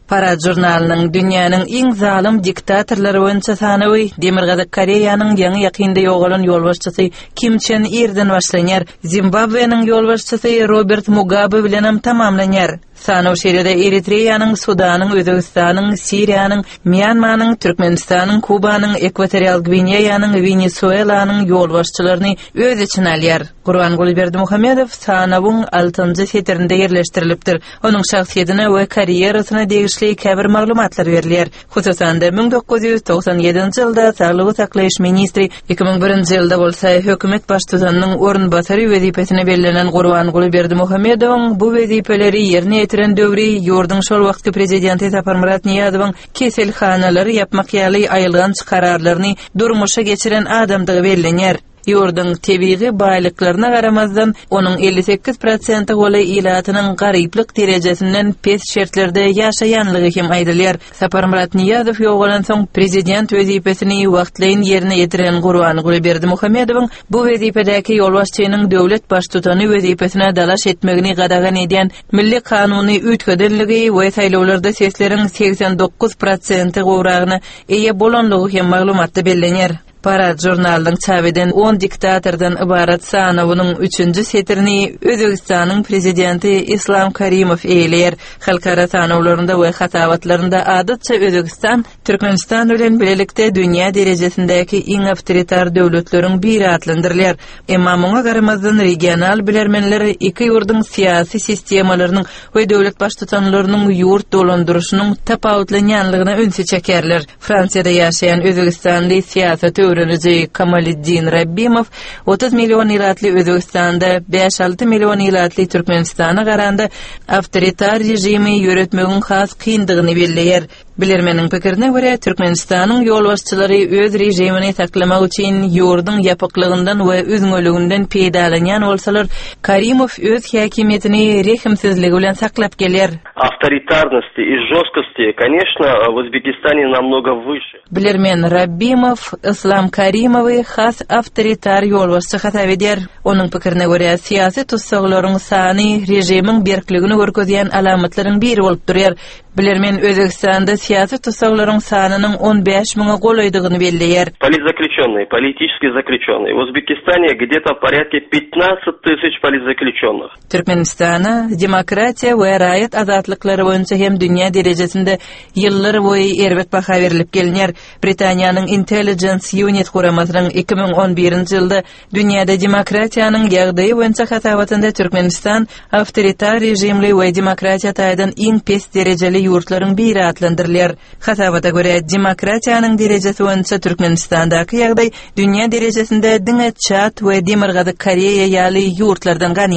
Parad žurnalynyň dünýäniň iň zalym diktatorlary boýunça sanawy Demirgazyk Koreýanyň ýaňy-ýakynda ýogalan ýolbaşçysy Kim Çen Irden başlanýar, Zimbabweniň ýolbaşçysy Robert Mugabe bilenem tamamlanýar. Sanaw şeýle-de Eritreýanyň, Sudanyň, Özbegistanyň, Siriýanyň, Mýanmanyň, Türkmenistanyň, Kubanyň, Ekwatorial Gwineýanyň, Wenesuelanyň ýolbaşçylaryny öz içine alýar. Gurbanguly Berdimuhamedow sanawyň altynjy setirinde ýerleşdirilipdir. Onuň şahsyýetine we karýerasyna degişli käbir maglumatlar berilýär. Hususan-da, 1997-nji ýylda saglygy saklaýyş ministri, 2001-nji ýylda bolsa hökümet baştutanynyň orunbasary wezipesine bellenen Gurbanguly Berdimuhamedowyň bu wezipeleri ýerine ýetiren döwri ýurduň şol wagtky prezidenti Saparmyrat Nyýazowyň keselhanalary ýapmak ýaly aýylganç kararlaryny durmuşa geçiren adamdygy bellenýär. Ýurduň tebigy baýlyklaryna garamazdan, onuň 58 prosente golaý ilatynyň garyplyk derejesinden pes şertlerde ýaşaýanlygy hem aýdylýar. Saparmyrat Nyýazow ýogalansoň, prezident wezipesini wagtlaýyn ýerine ýetiren Gurbanguly Berdimuhamedowyň bu wezipedäki ýolbaşçynyň döwlet baştutany wezipesine dalaş etmegini gadagan edýän milli kanuny üýtgedenligi we saýlawlarda sesleriň 89 prosente gowragyna eýe bolanlygy hem maglumatda bellenýär. Parad žurnalynyň çap eden on diktatordan ybarat sanawynyň üçünji setirini Özbegistanyň prezidenti Islam Karimow eýeleýär. Halkara sanawlarynda we hasabatlarynda adatça Özbegistan Türkmenistan bilen bilelikde dünýä derejesindäki iň awtoritar döwletleriň biri atlandyrylýar. Emma muňa garamazdan regional bilermenler iki ýurduň syýasy sistemalarynyň we döwlet baştutanlarynyň ýurt dolandyryşynyň tapawutlanýanlygyna ünsi çekerler. Fransiýada ýaşaýan özbegistanly syýasaty öwreniji Kamaliddin Rabbimow 30 million ilatly Özbegistanda bäş-alty million ilatly Türkmenistana garanda awtoritar režimi ýöretmegiň has kyndygyny belleýär. Bilermeniň pikirine görä, Türkmenistanyň ýolbaşçylary öz režimini saklamak üçin ýurduň ýapyklygyndan we üzňeliginden peýdalanýan bolsalar, Karimow öz häkimiýetini rehimsizligi bilen saklap gelýär. Awtoritarnosti i žestkosti, koneçno, w Uzbekistane namnogo wyşe. Bilermen Rabbimow Yslam Karimowy has awtoritar ýolbaşçy hasap edýär. Onuň pikirine görä, syýasy tussaglaryň sany režimiň berkligini görkezýän alamatlaryň biri bolup durýar. Bilermen Özbegistanda syýasy tussaglaryň sanynyň 15 müňe golaýdygyny belleýär. Politzaklýuçennyý, politiçeskiý zaklýuçennyý, w Uzbekistane gde-to porýadke 15 tysyç politzaklýuçennych. Türkmenistana demokratiýa we raýat azatlyklary boýunça hem dünýä derejesinde ýyllar boýy erbet baha berlip gelinýär. Britaniýanyň Intelligence Unit guramasynyň 2011-nji ýylda dünýäde demokratiýanyň ýagdaýy boýunça hasabatynda Türkmenistan awtoritar režimli we demokratiýa taýdan iň pes derejeli ýurtlaryň biri atlandyrylýar. Hasabata görä, demokratiýanyň derejesi boýunça Türkmenistandaky ýagdaý dünýä derejesinde diňe Çad we Demirgazyk Koreýa ýaly ýurtlardan ganymat.